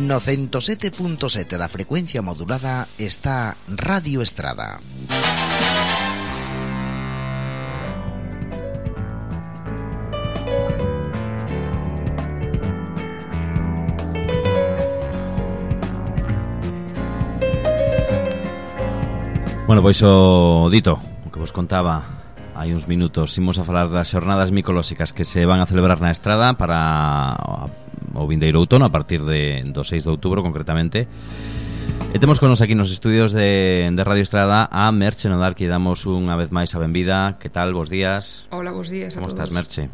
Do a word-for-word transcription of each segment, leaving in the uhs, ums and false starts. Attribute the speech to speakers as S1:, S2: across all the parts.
S1: No ciento sete punto sete da frecuencia modulada está Radio Estrada.
S2: Bueno, pois o dito, o que vos contaba hai uns minutos, imos a falar das xornadas micolóxicas que se van a celebrar na Estrada para o vindeiro outono a partir de, do seis de outubro concretamente. E temos con nos aquí nos estudios de, de Radio Estrada a Merche Nodar, que damos unha vez máis a benvida. Que tal? Bos días.
S3: Hola, bos días a
S2: Como
S3: todos.
S2: estás, Merche?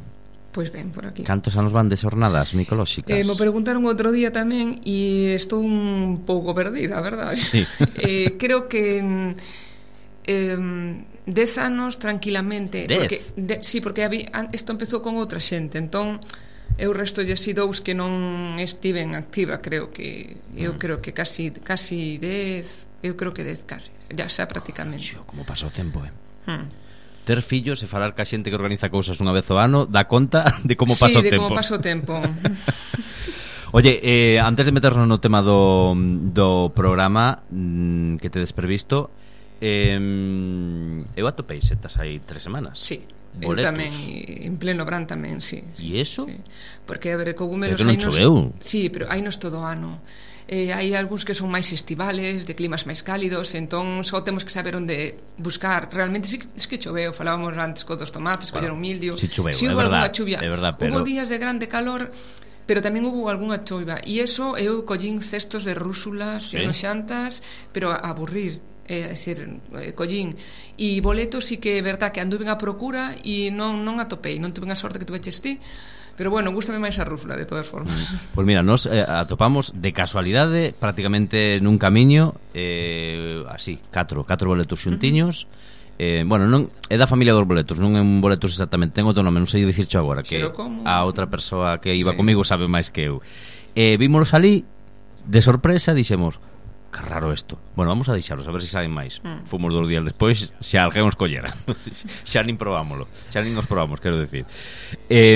S3: Pois ben, por aquí.
S2: Cantos anos van de xornadas micolóxicas?
S3: Eh, me preguntaron outro día tamén e estou un pouco perdida, a verdade.
S2: Sí.
S3: eh, creo que eh, dez anos tranquilamente.
S2: Dez?
S3: Porque, de, sí, porque había, isto empezou con outra xente, entón eu resto lle si dous que non estiven activa, creo que eu mm. creo que casi casi dez, eu creo que dez casi, ya xa prácticamente.
S2: Xo, como pasou o tempo, eh?
S3: Hmm.
S2: Ter fillos e falar ca xente que organiza cousas unha vez ao ano dá conta de como pasa o
S3: tempo. Sí, de
S2: tempo.
S3: como pasa o tempo.
S2: Oye, eh, antes de meternos no tema do, do programa mmm, que te desprevisto, eh, eu atopei setas hai tres semanas.
S3: Sí.
S2: Boletos.
S3: Eu tamén, en pleno Brán tamén, sí, sí.
S2: E eso?
S3: Sí. Porque, a ver, cogumelos...
S2: Pero que non choveu.
S3: Sí, pero hainos todo o ano. Eh, hai algúns que son máis estivales, de climas máis cálidos, entón só temos que saber onde buscar. Realmente sí, sí que choveu, falábamos antes co dos tomates, bueno, colleron mildio.
S2: Sí choveu,
S3: sí,
S2: é
S3: hubo
S2: verdad,
S3: alguna chuvia.
S2: É verdad, pero...
S3: Hubo días de grande calor, pero tamén hubo algunha choiva. E eso, eu collín cestos de rúsulas, sí, xantas, pero a aburrir. É dicir, eh, collín e boletos, sí que é verdad que anduven a procura e non, non atopei, non tuve a sorte que tuveches ti, pero bueno, gústame máis a rúsula de todas formas.
S2: Pois mira, nos eh, atopamos de casualidade prácticamente nun camiño eh, así, catro, catro boletos xuntiños. Uh-huh. eh, bueno, non é da familia dos boletos, non é un boletos exactamente, ten outro nome, non sei dicircho agora, que a outra persoa que iba sí. comigo sabe máis que eu. Eh, vímonos ali de sorpresa, dixemos, que raro isto. Bueno, vamos a deixaros, a ver se saben máis. Mm. Fomos dos días despois, xa alguén os collera. Xa nin probámoslo. Xa nin os probamos, quero decir. Eh,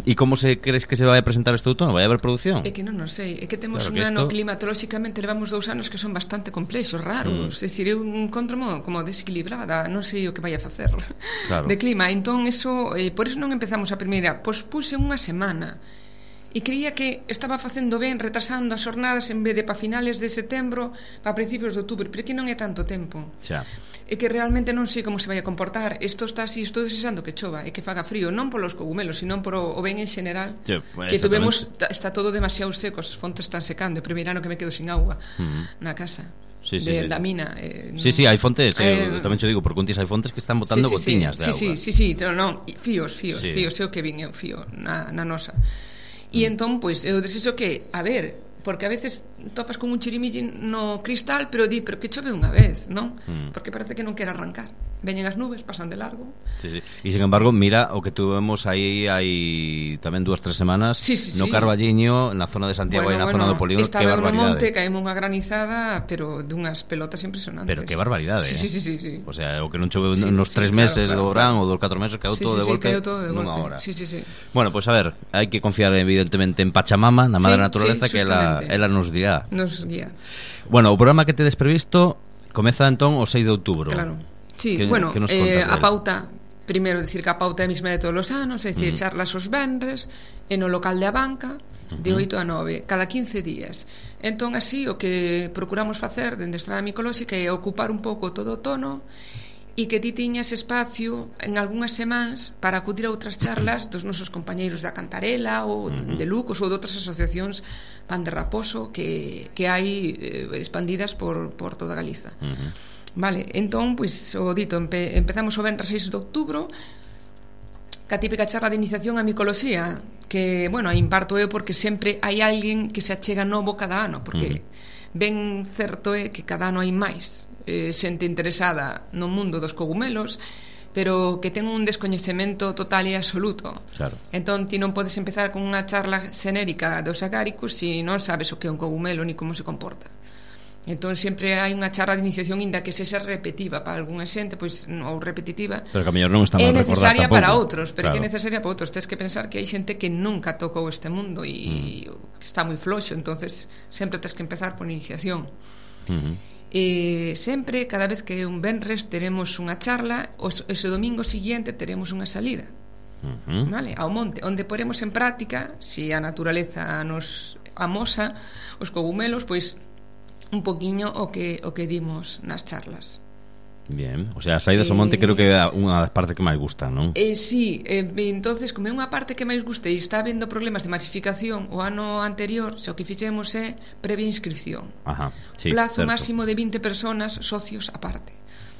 S2: e como se crees que se vai a presentar este outono? Vai haber produción?
S3: É que non non sei. É que temos
S2: claro
S3: un
S2: que
S3: ano
S2: esto...
S3: climatolóxicamente levamos dous anos que son bastante complexos, raros. Mm. É dicir, eu encontro-mo como desequilibrada. Non sei o que vai a facer claro. de clima. Entón, eso, eh, por eso non empezamos a primeira. Pois puse unha semana. E creía que estaba facendo ben retrasando as xornadas en vez de para finales de setembro para principios de outubro, pero que non é tanto tempo.
S2: Xa.
S3: É que realmente non sei como se vai a comportar. Isto está así, estou desexando que chova e que faga frío, non polos cogumelos, sino por o ben en general. Sí, pues, que tuvemos, está todo demasiado seco, as fontes están secando, o primeiro ano que me quedo sin agua uh-huh. na casa.
S2: Sí, sí,
S3: de,
S2: sí.
S3: da mina eh,
S2: sí, sí, hai fontes eh,
S3: eh,
S2: tamén te digo, por contis hai fontes que están botando
S3: sí, sí,
S2: gotiñas
S3: sí,
S2: de
S3: sí,
S2: agua
S3: sí, sí, sí, no, no, fíos, fíos,
S2: sí.
S3: fíos, eu que vin eu fío na, na nosa. E entón, pois, eu desexo que, a ver, porque a veces topas con un chirimilli no cristal, pero di, pero que chove unha vez, non? Mm. Porque parece que non quere arrancar. Veñen as nubes, pasan de largo.
S2: Sí, sí. E, sin embargo, mira o que tuvemos aí hai tamén dúas, tres semanas
S3: sí, sí,
S2: no
S3: sí.
S2: Carballiño, na zona de Santiago
S3: bueno,
S2: e na
S3: bueno,
S2: zona do Polígono.
S3: Estaba
S2: que
S3: no
S2: barbaridade.
S3: monte, caemos unha granizada, pero dunhas pelotas impresionantes.
S2: Pero que barbaridade,
S3: sí,
S2: eh?
S3: sí, sí, sí, sí.
S2: O sea, o que non choveu
S3: sí,
S2: nos
S3: sí,
S2: tres
S3: claro,
S2: meses
S3: claro,
S2: do verán
S3: claro.
S2: ou dos catro meses, caeu
S3: sí,
S2: todo
S3: sí,
S2: de golpe
S3: sí, todo de
S2: nunha
S3: golpe.
S2: hora.
S3: Sí, sí, sí.
S2: Bueno, pois pues, a ver, hai que confiar evidentemente en Pachamama, na madre
S3: sí,
S2: naturaleza,
S3: sí,
S2: que ela, ela nos guía.
S3: Nos guía.
S2: Bueno, o programa que tedes previsto comeza entón o seis de outubro.
S3: Claro. Sí,
S2: que,
S3: bueno,
S2: que nos
S3: eh,
S2: a
S3: pauta, primeiro decir que a pauta é a mesma de todos os anos, é dicir, uh-huh. charlas os venres e no local de a banca de uh-huh. oito a nove, cada quince días. Entón, así, o que procuramos facer dende Estrada Micolóxica é ocupar un pouco todo o tono e que ti tiñas espacio en algunhas semanas para acudir a outras charlas dos nosos compañeiros da Cantarela ou uh-huh. de Lucos ou de outras asociacións Pan de Raposo que, que hai eh, expandidas por, por toda Galiza. Uh-huh. Vale, entón, pois, o dito, empe, empezamos o venres seis de outubro ca típica charla de iniciación á micoloxía, que, bueno, a imparto eu porque sempre hai alguén que se achega novo cada ano, porque uh-huh. ben certo é que cada ano hai máis eh, xente interesada no mundo dos cogumelos, pero que ten un descoñecemento total e absoluto.
S2: Claro.
S3: Entón, ti non podes empezar con unha charla xenérica dos agáricos se non sabes o que é un cogumelo ni como se comporta. Entón sempre hai unha charla de iniciación inda que sexa repetitiva para algunha xente, pois ou repetitiva.
S2: Pero que a mellor non está mal
S3: recordar. É necesaria para outros, pero
S2: claro.
S3: que é necesaria para outros. Tens que pensar que hai xente que nunca tocou este mundo e mm. está moi floxo, entonces sempre tens que empezar por iniciación.
S2: Uh-huh.
S3: E sempre, cada vez que un venres teremos unha charla, os, ese domingo siguiente teremos unha salida. Uh-huh. Vale? Ao monte, onde poremos en práctica, se a naturaleza nos amosa os cogumelos, pois un poquiño o que o que dimos nas charlas.
S2: Bien, o sea, as saídas ao monte creo que é unha das partes que máis gustan, non?
S3: Eh, sí, eh, entonces como é unha parte que máis gusta e está habendo problemas de masificación o ano anterior, se o que fixemos é previa inscripción.
S2: Ajá, sí,
S3: plazo
S2: certo.
S3: máximo de vinte personas, socios aparte.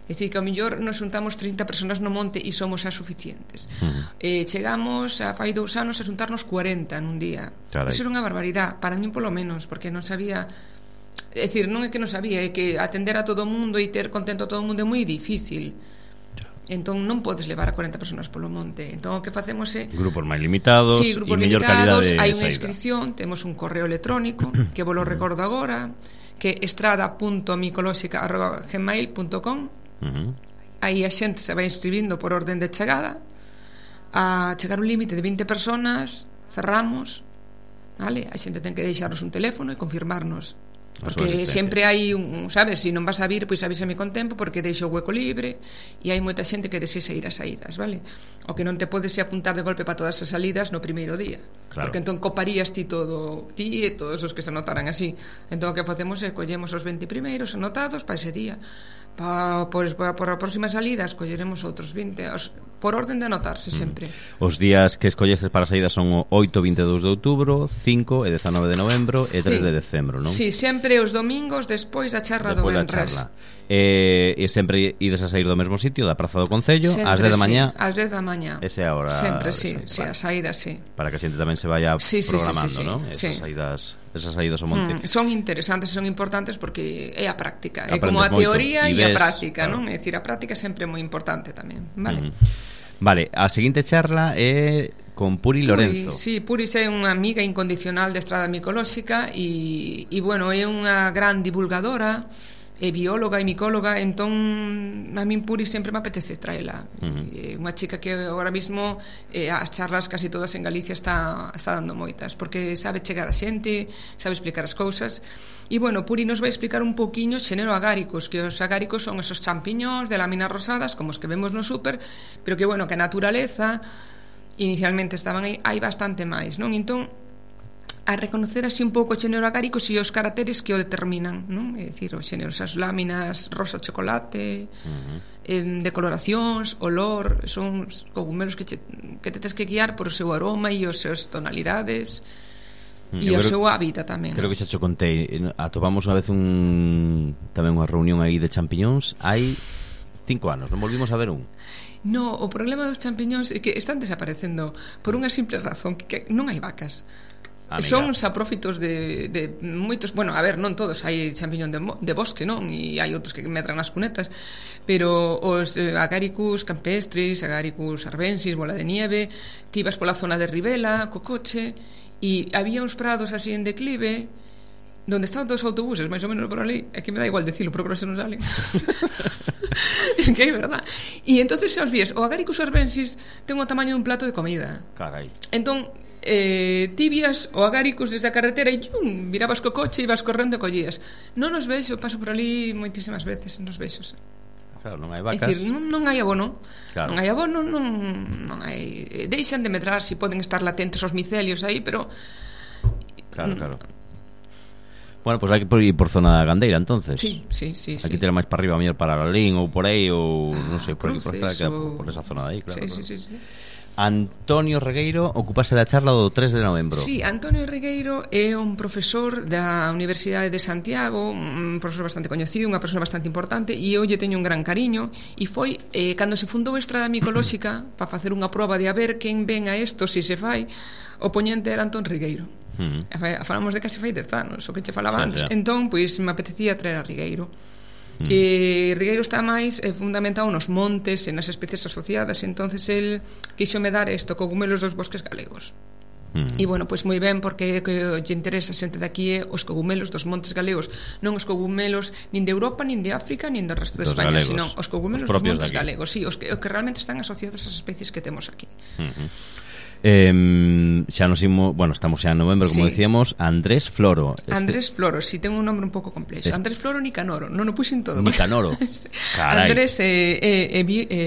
S3: É dicir, que ao mellor nos juntamos trinta personas no monte e somos as suficientes. Uh-huh. eh, Chegamos a fai dous anos a juntarnos cuarenta nun día. Carai. Eso era unha barbaridade, para min polo menos, porque non sabía. É dicir, non é que non sabía, é que atender a todo o mundo e ter contento a todo o mundo é moi difícil. Entón non podes levar a cuarenta personas polo monte. Entón o que facemos é
S2: grupos máis limitados,
S3: sí, grupos
S2: e mellor
S3: limitados,
S2: calidade.
S3: Hai unha inscripción, temos un correo electrónico que vos lo recordo agora, que é estrada punto micolóxica arroba gmail punto com. Uh-huh. Aí a xente se vai inscribindo por orden de chegada. A chegar un límite de vinte personas, cerramos, vale? A xente ten que deixarnos un teléfono e confirmarnos. Porque sempre hai un, sabes, se non vas a vir, pois avísame con tempo porque deixo o hueco libre e hai moita xente que desexa ir ás saídas, vale? O que non te podes é apuntar de golpe para todas as salidas no primeiro día, claro. Porque entón coparías ti todo, ti e todos os que se anotaran así. Entón o que facemos é collemos os vinte primeiros anotados para ese día. Pa, por, por a próxima salida escolleremos outros vinte os, por orden de anotarse sempre.
S2: mm. Os días que escolleces para a saída son o oito e vinte e dous de outubro, cinco e dezanove de novembro e tres de decembro, non?
S3: Si, sí, sempre os domingos despois da charla
S2: despois
S3: do venres.
S2: E, e sempre ides a sair do mesmo sitio, da Praza do Concello, ás dez da mañá.
S3: Sí, ás dez da mañá.
S2: Esa é a hora.
S3: Sempre, sí, sí, a saída, sí.
S2: Para que a xente tamén se vaya
S3: sí, sí,
S2: programando,
S3: sí, sí, sí,
S2: non?
S3: Sí.
S2: Esas saídas, esas saídas ao monte.
S3: Mm, son interesantes, son importantes porque é a práctica, é como a teoría e a práctica, claro. Non? É dicir, a práctica sempre é moi importante tamén, vale?
S2: Mm. Vale, a seguinte charla é con Puri Lorenzo.
S3: Puri, sí, Puri é unha amiga incondicional de Estrada Micolóxica e, e bueno, é unha gran divulgadora, é bióloga e micóloga, entón a min Puri sempre me apetece traela. Uh-huh. É unha chica que agora mismo eh, as charlas casi todas en Galicia está, está dando moitas, porque sabe chegar a xente, sabe explicar as cousas. E bueno, Puri nos vai explicar un poquinho xénero agáricos, que os agáricos son esos champiñóns de láminas rosadas, como os que vemos no súper, pero que bueno, que a naturaleza inicialmente estaban aí, hai bastante máis, non? Entón, a reconocer así un pouco o xénero agárico e os caracteres que o determinan, non? É dicir, o xénero, esas láminas rosa chocolate, uh-huh. eh, decoloracións, olor, son cogumelos que, che, que te tens que guiar por o seu aroma e os seus tonalidades e o seu hábitat tamén.
S2: Creo que xa cho contei, atopamos unha vez un tamén unha reunión aí de champiñóns hai cinco anos, non volvimos a ver un.
S3: No, o problema dos champiñóns é que están desaparecendo por unha simple razón, que, que non hai vacas. Amiga. Son saprófitos de, de moitos, bueno, a ver, non todos, hai champiñón de, de bosque, non? E hai outros que medran nas cunetas, pero os eh, Agaricus campestris, Agaricus arbensis, bola de nieve, ti ibas pola zona de Ribela co coche e había uns prados así en declive donde estaban todos os autobuses, máis ou menos por ali, é que me dá igual decirlo, procuro se non salen. Es que é verdad. E entonces xa os vías, o Agaricus arbensis ten o tamaño dun plato de comida.
S2: Carai.
S3: Entón, eh, tibias o Agaricus desde a carretera e yum, virabas co coche e ibas correndo e collías. Non os vexo, paso por ali moitísimas veces, non os vexo.
S2: Claro, non hai vacas.
S3: É dicir, non, non hai abono.
S2: Claro.
S3: Non hai abono, non, non hai... Deixan de medrar, si poden estar latentes os micelios aí, pero...
S2: Claro, claro. Bueno, pois pues hai que ir por zona gandeira, entonces.
S3: Sí, sí, sí.
S2: Hai que
S3: sí.
S2: tirar máis para arriba, mellor para Lalín ou por aí, ou non sei, por,
S3: Cruces,
S2: por, esta,
S3: o...
S2: por esa zona de aí, claro.
S3: Sí,
S2: claro.
S3: sí, sí, sí.
S2: Antonio Regueiro ocupase da charla do tres de novembro.
S3: Sí, Antonio Regueiro é un profesor da Universidade de Santiago, un profesor bastante coñecido, unha persona bastante importante, e eu lle teño un gran cariño, e foi eh, cando se fundou a Estrada Micolóxica para facer unha proba de a ver quen ven a isto, se se fai, o poñente era Antón Regueiro. Uh-huh. Falamos de casi fai dez anos, o que che falaba antes. Entón, pois, me apetecía traer a Regueiro. Mm. E Regueiro está máis eh, fundamentado nos montes e nas especies asociadas, entonces el quixo me dar isto, cogumelos dos bosques galegos. E, bueno, pois moi ben, porque que lle interesa a xente de aquí é os cogumelos dos montes galegos, non os cogumelos nin de Europa, nin de África, nin do resto de
S2: Dos
S3: España,
S2: galegos.
S3: sino os cogumelos
S2: Os
S3: dos
S2: propios
S3: montes
S2: de aquí.
S3: galegos, sí, os que, os que realmente están asociados ás especies que temos aquí.
S2: Uh-huh. Eh, xa nos imos, bueno, estamos xa en novembro, como
S3: Sí.
S2: decíamos, Andrés Floro. Este...
S3: Andrés Floro, si ten un nombre un pouco complexo.
S2: Es...
S3: Andrés Floro Nicanoro, non o puxen todo.
S2: Nicanoro. Carai.
S3: Andrés é, é, é, é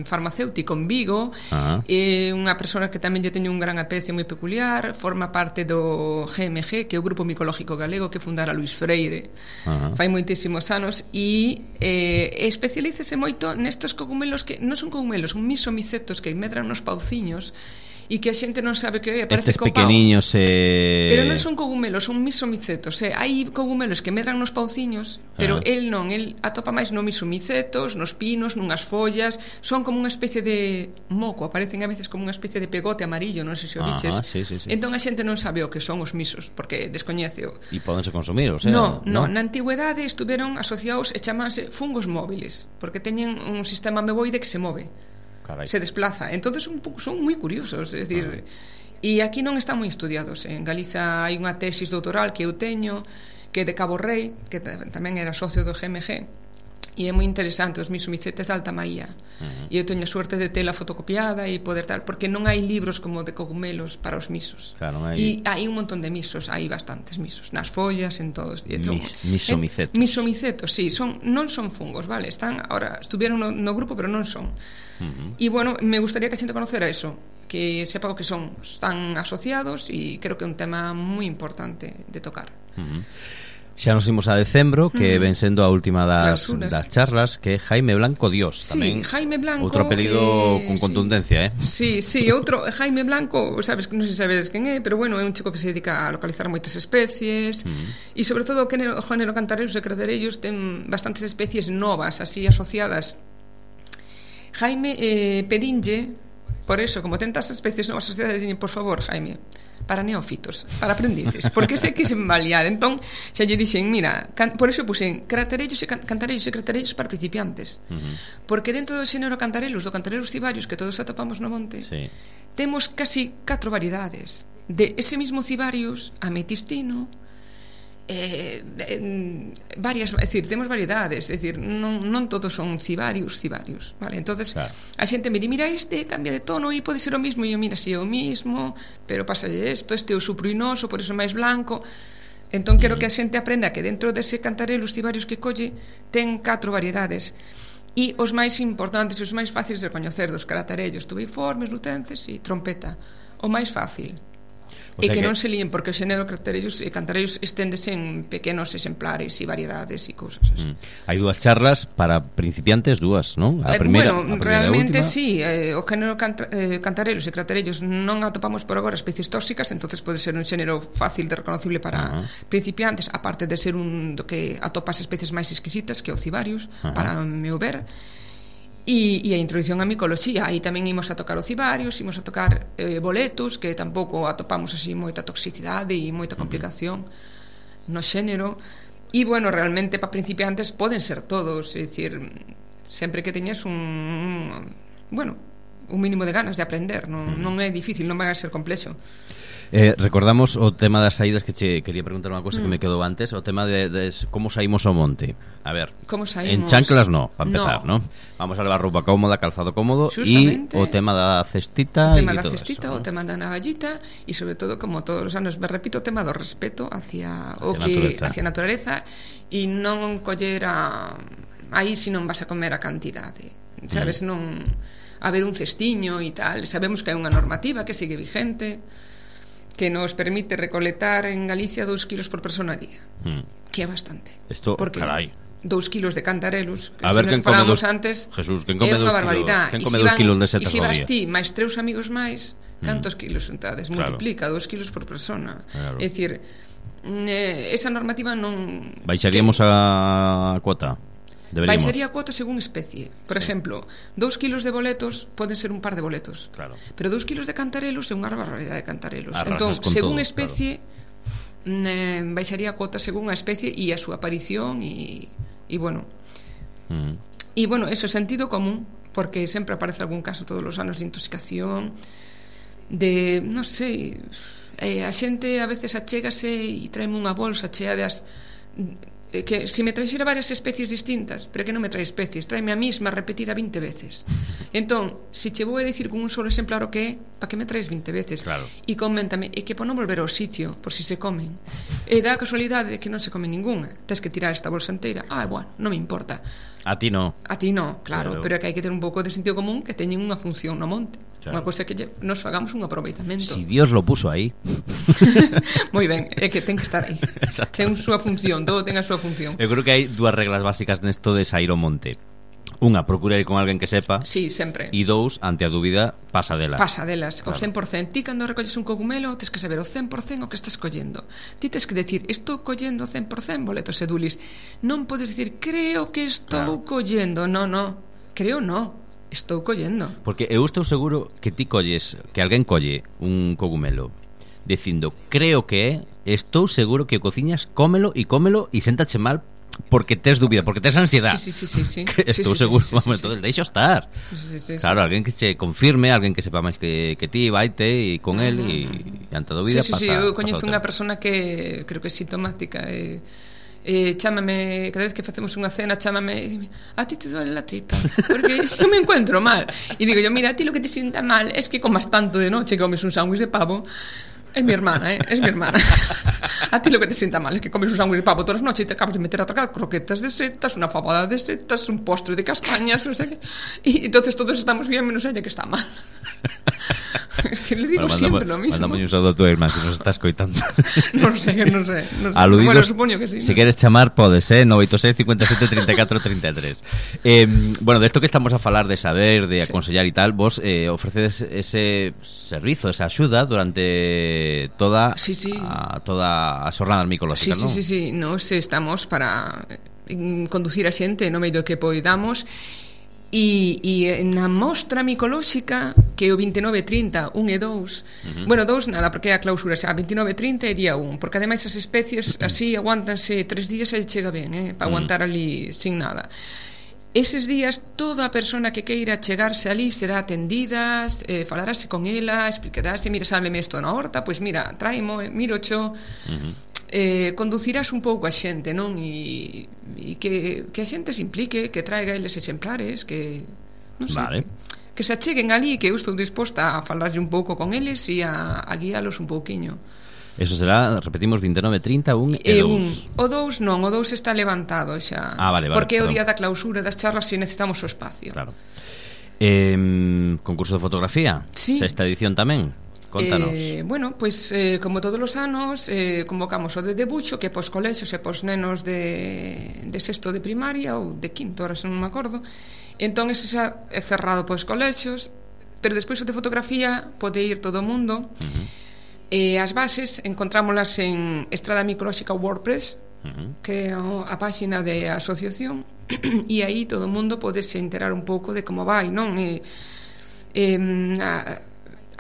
S3: farmacéutico en Vigo,
S2: Ajá.
S3: é unha persona que tamén lle teñe un gran aprecio moi peculiar, forma parte do G M G, que é o Grupo Micológico Galego que fundara Luís Freire.
S2: Ajá.
S3: Fai moitísimos anos e eh, especialícese moito nestos cogumelos que non son cogumelos, son misomicetos que medran nos pauciños e que a xente non sabe que é, parece
S2: Estes
S3: co pau.
S2: pequeniños eh...
S3: Pero non son cogumelos, son misomicetos. Eh? Hai cogumelos que medran nos pauciños, pero
S2: Ah.
S3: el non, el atopa máis no misomicetos, nos pinos, nunhas follas. Son como unha especie de moco, aparecen a veces como unha especie de pegote amarillo, non sei se o
S2: Ajá,
S3: biches.
S2: sí, sí, sí.
S3: Entón a xente non sabe o que son os misos, porque descoñeceo.
S2: E pódense consumir, o sea,
S3: No, no,
S2: ¿no?
S3: na antigüedade estuveron asociados e chamanse fungos móviles, porque teñen un sistema ameboide que se move.
S2: Carai.
S3: Se desplaza. Entonces son, son moi curiosos, é dicir, e aquí non están moi estudiados. En Galiza hai unha tesis doutoral que eu teño, que é de Cabo Rei, que tamén era socio do G M G, e é moi interesante os misomicetes de alta maía. Uh-huh. E eu teño a suerte de tela fotocopiada e poder tal, porque non hai libros como de cogumelos para os misos.
S2: Claro, non hai...
S3: E hai un montón de misos, hai bastantes misos, nas follas, en todos. E son,
S2: Mis, misomicetos.
S3: Eh, misomicetos, sí, son, non son fungos, vale? Están, ahora, estuvieron no, no grupo, pero non son. Uh-huh. E, bueno, me gustaría que a xente conocera eso, que sepa o que son. Están asociados e creo que é un tema moi importante de tocar.
S2: Uh-huh. Xa nos imos a decembro, que uh-huh. ven sendo a última das, das charlas, que é Jaime Blanco Dios.
S3: Sí,
S2: tamén
S3: Jaime Blanco.
S2: Outro apelido
S3: eh,
S2: con contundencia,
S3: sí.
S2: eh?
S3: Sí, sí, outro, Jaime Blanco, sabes, non sei se sabes quen é, pero bueno, é un chico que se dedica a localizar moitas especies, uh-huh. e sobre todo o género, o género cantareiros e craterellos ten bastantes especies novas, así asociadas. Jaime eh, pedinlle, por eso, como tentas especies novas asociadas, dixen, por favor, Jaime, para neófitos, para aprendices, porque sei que se balear. Entón, xa lle dixen, mira, can, por eso puxen craterellos e can, cantarellos e craterellos para principiantes. Uh-huh. Porque dentro do xénero cantarelos, do cantarelos cibarios que todos atopamos no monte, sí. temos casi catro variedades. De ese mismo cibarius, ametistino, eh, eh, varias, é dicir, temos variedades, é dicir, non, non todos son cibarius, cibarius, vale? Entonces, claro. a xente me di, mira, este cambia de tono e pode ser o mismo, e eu, mira, si é o mismo, pero pasa isto, este é o supruinoso, por iso máis blanco. Entón, quero mm. que a xente aprenda que dentro dese cantarelo, os cibarius que colle, ten catro variedades. E os máis importantes e os máis fáciles de recoñecer dos cratarellos, tubeiformes, lutenses e trompeta. O máis fácil. O sea e que, que non se líen, porque o xénero craterellos e cantarellos esténdese en pequenos exemplares e variedades e cousas así. Mm.
S2: Hai dúas charlas para principiantes, dúas, non? A primeira,
S3: bueno,
S2: a primeira
S3: realmente
S2: última.
S3: sí, eh, o género canta, eh, cantarellos e craterellos non atopamos por agora especies tóxicas, entonces pode ser un xénero fácil de reconocible para uh-huh. principiantes, aparte de ser un do que atopas especies máis exquisitas que o cibarius, uh-huh. para meu ver. E, e a introducción á micoloxía, aí tamén imos a tocar o cibarius, imos a tocar eh, boletus, que tampouco atopamos así moita toxicidade e moita complicación no xénero. E, bueno, realmente para principiantes poden ser todos, é dicir, sempre que teñas un, un bueno, un mínimo de ganas de aprender, non, non é difícil, non vai a ser complexo.
S2: Eh, recordamos o tema das saídas, que che quería preguntar unha cosa mm. que me quedou antes, o tema de, de como saímos ao monte. A ver,
S3: como saímos?
S2: En chanclas no, para empezar, no. ¿no? Vamos a levar roupa cómoda, calzado cómodo e o tema da cestita,
S3: o tema
S2: e
S3: da
S2: todo
S3: cestita,
S2: eso,
S3: o ¿no? tema da navallita e sobre todo, como todos os anos me repito, o tema do respeto hacia, hacia o que naturaleza. hacia a naturaleza e non coller a aí si non vas a comer a cantidade, sabes, mm. non haber un cestiño e tal. Sabemos que hai unha normativa que sigue vigente, que nos permite recolectar en Galicia dous kilos por persona a día, mm. que é bastante.
S2: Esto,
S3: porque
S2: carai,
S3: dous kilos de cantarelos, que
S2: a ver,
S3: se
S2: quen come dos,
S3: antes,
S2: Jesús, quen come
S3: é unha barbaridade.
S2: Quen come dos kilos de setas
S3: ao día? E se vas ti máis tres amigos máis, cantos mm. kilos juntades? Claro. Multiplica dous kilos por persona. Claro. É dicir, eh, esa normativa non...
S2: Baixaríamos que... a cuota? Deberíamos.
S3: Baixaría a cuota según especie. Por sí. exemplo, dous kilos de boletos poden ser un par de boletos,
S2: claro.
S3: pero dous kilos de cantarelos é unha barbaridade de cantarelos.
S2: Arrasas
S3: entón, según
S2: todo,
S3: especie, claro. eh, baixaría a cuota según a especie e a súa aparición e, e bueno mm. e bueno, eso é sentido común, porque sempre aparece algún caso todos os anos de intoxicación de, non sei, eh, a xente a veces achégase e traeme unha bolsa chea de as que se me traixera varias especies distintas, pero que non me trae especies, traeme a mesma repetida vinte veces. Entón, se che vou a dicir con un solo exemplar o que é, para que me traes vinte veces?
S2: Claro.
S3: E coméntame, e que por non volver ao sitio, por si se comen. E dá a casualidade de que non se come ninguna. Tens que tirar esta bolsa inteira. Ah, bueno, non me importa.
S2: A ti no.
S3: A ti no, claro,
S2: Pero,
S3: pero é que hai que ter un pouco de sentido común que teñen unha función no monte.
S2: Claro.
S3: Unha cosa que lle, nos fagamos un aproveitamento.
S2: Si Dios lo puso aí.
S3: Moi ben, é que ten que estar aí. Ten a súa función, todo ten a súa función.
S2: Eu creo que hai dúas reglas básicas nesto de sair ao monte. Unha, procura ir con alguén que sepa.
S3: Sí, sempre.
S2: E dous, ante a dúbida, pasa delas.
S3: Pasa delas,
S2: claro.
S3: O cen por cento. Ti cando recolles un cogumelo, tens que saber o cen por cento o que estás collendo. Ti tens que decir, estou collendo o cen por cento boletos e dulis. Non podes dicir, creo que estou claro. collendo. No, no, creo no, estou collendo.
S2: Porque eu estou seguro que ti colles, que alguén colle un cogumelo dicindo, creo que é, estou seguro que o cociñas, cómelo e cómelo e séntache mal porque tes dúbida, porque tes ansiedade.
S3: Sí, sí, sí, sí, sí.
S2: Estou
S3: sí, sí,
S2: seguro,
S3: sí, sí, sí,
S2: vamos,
S3: sí.
S2: entonces deixo estar.
S3: Sí, sí, sí,
S2: claro,
S3: sí.
S2: alguén que che confirme, alguén que sepa máis que, que ti, vaite e con el e ante a dúbida
S3: sí, sí,
S2: pasa.
S3: Sí, eu coñezo
S2: unha
S3: unha persona que creo que é sintomática e eh, chámame, cada vez que facemos unha cena chámame e dime, a ti te duele la tripa porque eu me encuentro mal e digo yo, mira, a ti lo que te sienta mal es que comas tanto de noche que comes un sándwich de pavo. Es mi hermana, ¿eh? Es mi hermana. A ti lo que te sienta mal es que comes un sándwich de pavo todas las noches y te acabas de meter a tragar croquetas de setas, una fabada de setas, un postre de castañas, no sé qué. Y entonces todos estamos bien menos ella que está mal. Es que le digo bueno, siempre lo mismo.
S2: Mándame un saludo a tu hermana si nos está escoitando.
S3: Non sei, non sei. Non sei.
S2: Aludidos,
S3: bueno, supoño que sí.
S2: Se
S3: ¿no?
S2: queres chamar, podes, eh? nove oito seis, cinco sete, treinta e catro, treinta e tres. Eh, bueno, de esto que estamos a falar de saber, de aconsellar sí. e tal, vos eh, ofrecedes ese servizo, esa axuda durante toda
S3: sí, sí.
S2: a toda a xornada micolóxica,
S3: sí,
S2: non?
S3: Sí, sí, sí, nos estamos para conducir a xente no medio que poidamos. E, e na mostra micolóxica que é o vinte e nove, trinta, un e dous uh-huh. Bueno, dous nada, porque é a clausura xa vinte e nove, trinta e día un. Porque ademais as especies así aguántanse tres días e chega ben, eh, para aguantar uh-huh. ali sin nada. Eses días toda a persona que queira chegarse ali será atendida, eh, falarase con ela, explicarase, mira, sábeme isto na horta, pois mira, traimo, miro cho uh-huh. eh, conducirás un pouco a xente, non? E, e que, que a xente se implique, que traiga eles exemplares, que non sei,
S2: vale.
S3: que, que se acheguen ali, que eu estou disposta a falarlle un pouco con eles e a, a guiálos un pouquiño.
S2: Eso será, repetimos, vinte e nove, trinta, un e dous.
S3: O dous non, o dous está levantado xa.
S2: Ah, vale, vale.
S3: Porque é o
S2: perdón.
S3: día da clausura das charlas e necesitamos o espacio.
S2: Claro. Eh, concurso de fotografía,
S3: sí.
S2: Sexta edición tamén. Contanos.
S3: Eh, bueno, pois pues, eh, como todos os anos eh, convocamos o de debuxo que pos colexios e pos nenos de, de sexto de primaria ou de quinto, ahora non me acordo. Entón ese xa é cerrado pos colexios, pero despois o de fotografía pode ir todo o mundo. Uh-huh. E as bases encontrámolas en Estrada Micolóxica WordPress, uh-huh. que é a páxina de asociación, e aí todo o mundo pode se enterar un pouco de como vai, non? E, e, a,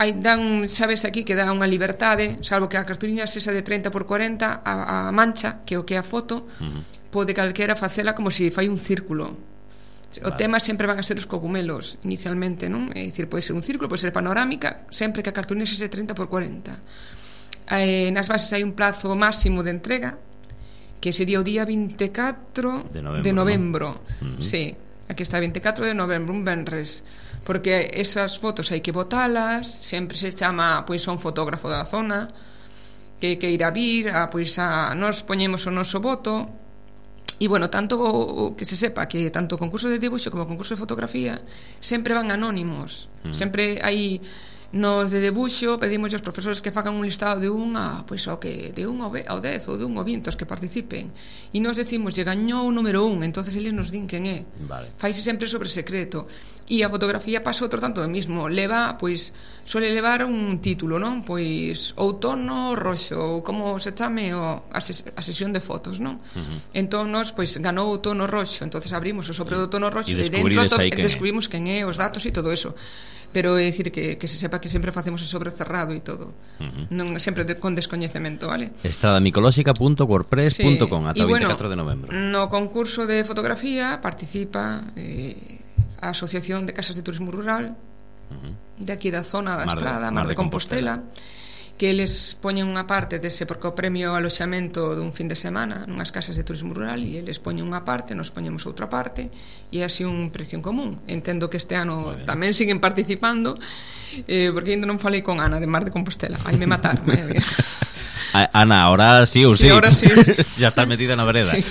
S3: hai, dan, sabes aquí que dá unha liberdade, salvo que a cartuliña esa de treinta por cuarenta, a, a mancha, que é o que é a foto, uh-huh. pode calquera facela como se fai un círculo. O vale. Tema sempre van a ser os cogumelos inicialmente, non? É dicir, pode ser un círculo, pode ser panorámica, sempre que a cartulina sexa de treinta por cuarenta. Eh, nas bases hai un plazo máximo de entrega que sería o día vinte e catro de novembro, de novembro. ¿No? Uh-huh. Sí, aquí está vinte e catro de novembro, un venres, porque esas fotos hai que botalas, sempre se chama pois a un fotógrafo da zona que que irá vir, a, pois a nos poñemos o noso voto. E, bueno, tanto o, que se sepa que tanto o concurso de dibuixo como o concurso de fotografía sempre van anónimos. Mm. Sempre hai nos de debuxo pedimos aos profesores que fagan un listado de un a, pois, ao que, de un ao dez ou de un ao vinte os que participen. E nos decimos, lle gañou o número un, entonces eles nos din quen é.
S2: Vale.
S3: Faise sempre sobre secreto. E a fotografía pasa outro tanto do mismo. Leva, pois, suele levar un título, non? Pois, outono roxo, ou como se chame o, a, ses, a sesión de fotos, non? Uh-huh. Entón, nos, pois, ganou outono roxo, entonces abrimos o sobre do outono roxo e, e dentro to, descubrimos quen é, os datos e todo eso. Pero é dicir que, que se sepa que sempre facemos o sobre cerrado e todo. Uh-huh. Non sempre de, con descoñecemento, vale?
S2: estrada micolóxica punto wordpress punto com, sí. Ata o
S3: bueno,
S2: vinte e catro de novembro.
S3: No concurso de fotografía participa eh, a Asociación de Casas de Turismo Rural, uh-huh. de aquí da zona da
S2: Mar de,
S3: Estrada, Mar, Mar de, de Compostela, Compostela, que eles poñen unha parte dese, porque o premio aloxamento dun fin de semana nunhas casas de turismo rural, e eles poñen unha parte, nos poñemos outra parte, e é así un precio en común. Entendo que este ano tamén siguen participando, eh, porque ainda non falei con Ana de Mar de Compostela, aí me mataron, eh.
S2: Ana, ahora sí ou sí,
S3: sí, ahora sí, sí.
S2: Ya estás metida na vereda, sí.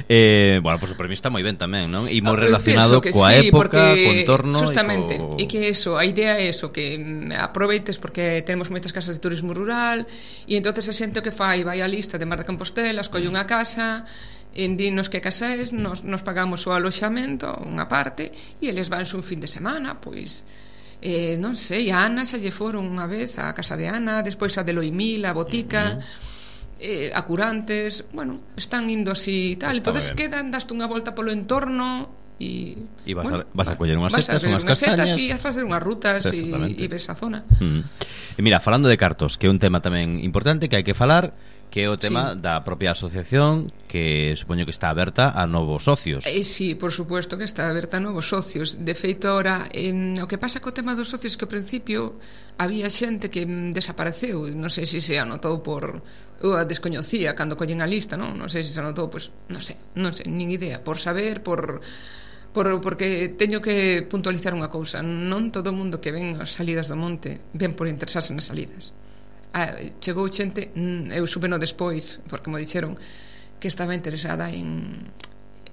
S2: eh, bueno, pues o premio está moi ben tamén, non? E moi relacionado coa
S3: sí,
S2: época, co entorno
S3: justamente,
S2: e co...
S3: e que eso, a idea é eso, que aproveites porque temos moitas casas de turismo rural, e entonces a xente o que fai vai á lista de Mar de Compostela, escolle unha casa, en dinos que casa es, nos, nos pagamos o aloxamento, unha parte, e eles van un fin de semana, pois eh, non sei, a Ana xa lle foron unha vez a casa de Ana, despois a de Loimil, a Botica, uh-huh. eh, a Curantes, bueno, están indo así e tal, entonces quedan, daste unha volta polo entorno e,
S2: e vas,
S3: bueno,
S2: a, vas a coller unhas setas, unhas
S3: castañas,
S2: e
S3: vas a facer unhas rutas e, e ves a zona.
S2: Uh-huh. E mira, falando de cartos, que é un tema tamén importante que hai que falar, que é o tema sí. da propia asociación, que supoño que está aberta a novos socios.
S3: Eh, sí, por supuesto que está aberta a novos socios. De feito, ahora, eh, o que pasa co tema dos socios que ao principio había xente que desapareceu, non sei se se anotou por... Eu a descoñecía cando collen a lista, non? Non sei se se anotou, pois, non sei, non sei, nin idea, por saber, por... Por, porque teño que puntualizar unha cousa, non todo o mundo que ven as salidas do monte ven por interesarse nas salidas. Ah, chegou xente, eu súbeno despois porque me dixeron que estaba interesada en,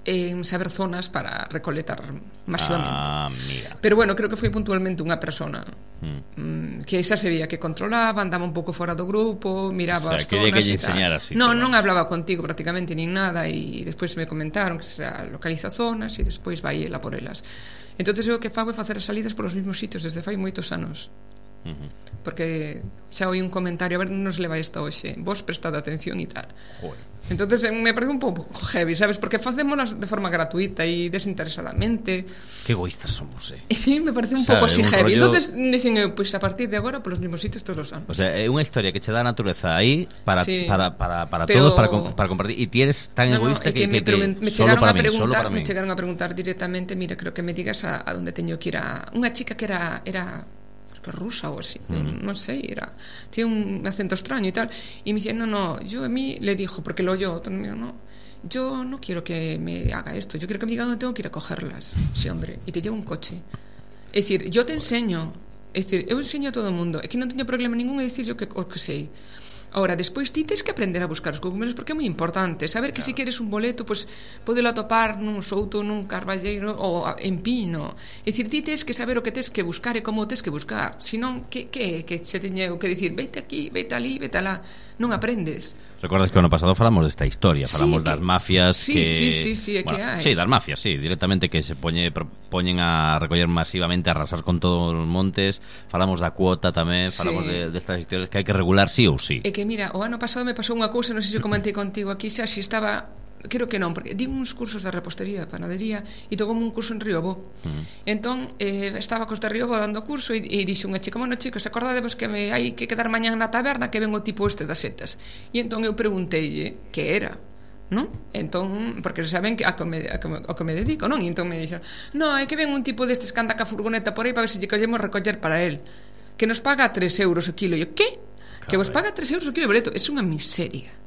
S3: en saber zonas para recolectar masivamente.
S2: Ah, mira.
S3: Pero bueno, creo que foi puntualmente unha persona mm. que esa sería que controlaba, andaba un pouco fora do grupo, miraba, o sea,
S2: as zonas que lle enseñara así.
S3: Non, non hablaba contigo prácticamente nin nada, e despois me comentaron que se localiza zonas e despois vai ela por elas. Entonces eu o que fago é facer as salidas por os mesmos sitios desde fai moitos anos. Uh-huh. Porque xa oí un comentario, a ver, non nos leva esta hoxe, vos prestade atención e tal. Joder. Entonces me parece un pouco heavy, sabes, porque facémonos de forma gratuita e desinteresadamente.
S2: Que egoístas somos, eh.
S3: E sí, me parece un pouco así heavy. Rollo... Entonces, dixen eu, pois a partir de agora polos mesmos sitios todos os anos.
S2: O sea, é unha historia que che dá a natureza aí para sí. para para para
S3: pero...
S2: todos, para para compartir, e ti eres tan no, egoísta no, que, que,
S3: me,
S2: que,
S3: que me
S2: solo
S3: chegaron
S2: para
S3: a
S2: mí,
S3: preguntar,
S2: solo para mí.
S3: Me chegaron a preguntar directamente, mira, creo que me digas a, a donde teño que ir a unha chica que era era rusa ou así, mm. non sei, era tiene un acento extraño y tal, y me dice, no, no, yo a mí le dijo, porque lo oyó, no, yo no quiero que me haga esto, yo quiero que me diga dónde tengo que ir a cogerlas, sí, hombre, y te llevo un coche, es decir, yo te enseño, es decir, eu enseño a todo o mundo, é que non teño problema ningún en decir yo que, o que sei. Ahora, despois ti tens que aprender a buscar os cogumelos porque é moi importante saber que claro. Se queres un boleto, pois pues, podelo atopar nun souto, nun carballeiro ou en pino. É dicir, ti tens que saber o que tens que buscar e como o tens que buscar. Senón, que, que, que se teñeu que dicir veite aquí, veite ali, veite alá. Non aprendes.
S2: Recordas que o ano pasado falamos desta historia, falamos sí, que, das mafias
S3: sí,
S2: que...
S3: Sí, sí, sí, é
S2: bueno,
S3: que hai.
S2: Sí, das mafias, sí, directamente que se poñe, poñen a recoller masivamente, a arrasar con todos os montes. Falamos da cuota tamén, falamos sí. de, destas historias que hai que regular sí ou sí.
S3: É que mira, o ano pasado me pasou unha cousa, non sei se comentei contigo aquí xa, se estaba... Creo que non, porque di uns cursos de repostería, panadería, e tocoume un curso en Riobó. Uh-huh. Entón, eh, estaba cos de Riobó dando curso e, e dixo unha chica, bueno, chicos, acordadevos que me hai que quedar mañán na taberna que ven o tipo este das setas. E entón eu pregunteille que era, non? Entón, porque saben que a que me, a que me, a que me dedico, non? E entón me dixo, no, é que ven un tipo destes que anda ca furgoneta por aí para ver se lle collemos recoller para él, que nos paga tres euros o kilo. E eu, que? Caray. Que vos paga tres euros o kilo, boleto? É unha miseria.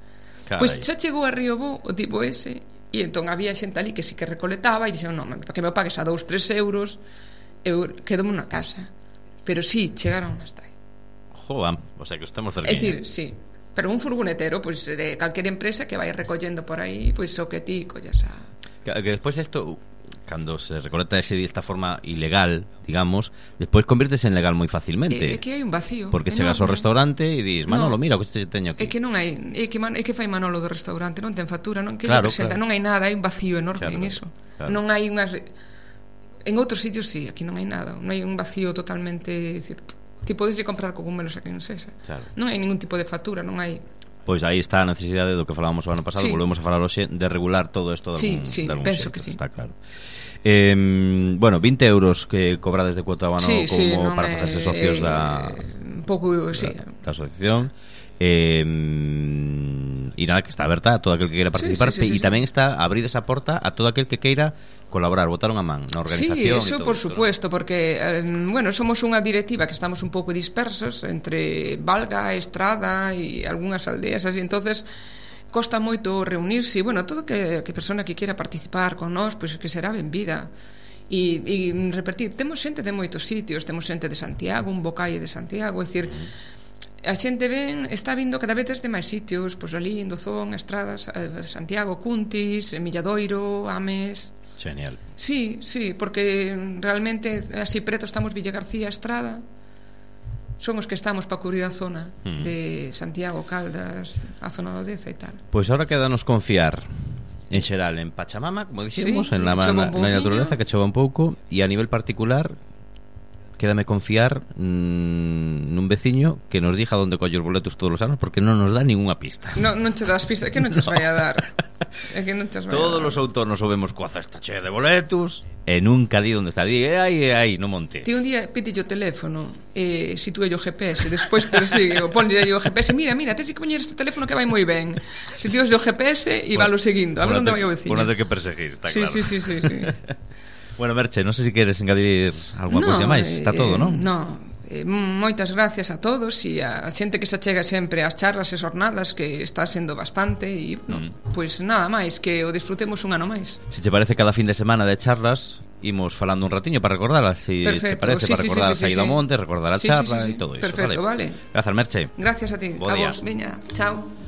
S3: Caray. Pois xa chegou a Riobó o tipo ese, e entón había xente ali que sí que recoletaba e dixeron, non, para que me pagues a dous, tres euros eu quedo na casa. Pero sí, chegaron hasta aí.
S2: Joder, o sea que estamos cerquinha.
S3: É dicir, sí, pero un furgonetero pois, de calquera empresa que vai recollendo por aí, pois o que ti collas a...
S2: Que, que despois isto, cando se recolecta ese de esta forma ilegal, digamos, despois convírtese en legal moi facilmente.
S3: É, é que hai un vacío.
S2: Porque enorme. Chegas ao restaurante e dis, Manolo, no, mira o que te teño aquí.
S3: É que non hai, é que, é que fai Manolo do restaurante, non ten factura, non que
S2: claro,
S3: presenta,
S2: claro.
S3: Non hai nada, hai un vacío enorme claro, en eso.
S2: Claro.
S3: Non hai unhas... En outros sitios sí, aquí non hai nada, non hai un vacío totalmente, decir, ti podes comprar cogumelos aquí en Sesa. Claro. Non hai ningún tipo de factura, non hai.
S2: Pois aí está a necesidade do que falábamos o ano pasado, sí. Volvemos a falar hoxe de regular todo isto de
S3: sí,
S2: algún,
S3: sí,
S2: de algún
S3: penso
S2: xeito,
S3: que sí.
S2: Está claro. Eh, bueno, vinte euros que cobrades de cuota ao ano
S3: sí,
S2: como
S3: sí,
S2: para facerse socios
S3: eh,
S2: da
S3: un pouco, sí.
S2: da, da asociación. Eh, e nada, que está aberta a todo aquel que queira participar,
S3: sí, sí, sí,
S2: e
S3: sí,
S2: tamén
S3: sí.
S2: está abrir esa porta a todo aquel que queira colaborar, botaron a man na organización.
S3: Sí, eso por esto, supuesto, ¿no? Porque, eh, bueno, somos unha directiva que estamos un pouco dispersos entre Valga, Estrada e algunhas aldeas, así, entonces costa moito reunirse, e, bueno, todo que, que persona que quera participar con nós, pois pues, que será benvida. E, e repetir, temos xente de moitos sitios, temos xente de Santiago, un bocalle de Santiago, é dicir, a xente ven, está vindo cada vez desde máis sitios, pois ali en Dozón, Estradas, eh, Santiago, Cuntis, Milladoiro, Ames.
S2: Genial.
S3: Sí, sí, porque realmente así preto estamos Villa García, Estrada. Son os que estamos para cubrir a zona mm. de Santiago, Caldas, a zona do Deza e tal.
S2: Pois ahora quédanos confiar en xeral en Pachamama, como dixemos,
S3: sí,
S2: en la, na, na naturaleza que chova un pouco, e a nivel particular quédame confiar mmm, nun veciño que nos diga onde colle os boletos todos os anos, porque non nos dá ningunha pista.
S3: No, non che das pistas, é que non che no. vai a dar. É que non che vai
S2: Todos
S3: a dar.
S2: os outonos o vemos coa cesta chea de boletos e nunca di onde está. Di, é aí, é aí, no monte.
S3: Ti un día pídelle o teléfono e eh, sitúe o G P S, despois persigue o ponlle o G P S, mira, mira, tes que poñer este teléfono que vai moi ben. Sitúes o G P S e valo seguindo, a ver onde vai o veciño.
S2: Por non ter que perseguir, está
S3: sí,
S2: claro.
S3: Sí, sí, sí, sí.
S2: Bueno, Merche, non sei se queres engadir alguna
S3: no,
S2: cousa máis. Está todo, non?
S3: Eh, no, eh, moitas gracias a todos e a xente que se achega sempre ás charlas e jornadas, que está sendo bastante e, no, mm. pois nada máis, que o disfrutemos un ano máis.
S2: Se te parece, cada fin de semana de charlas imos falando un ratiño para recordarlas, si te parece, sí, para sí, recordar sí, sí, a saída ao sí, monte, recordar a charla e sí, sí, sí. todo iso.
S3: Perfecto, vale.
S2: vale. Grazas, Merche.
S3: Gracias a ti.
S2: Bo
S3: a
S2: día.
S3: vos, veña, chao.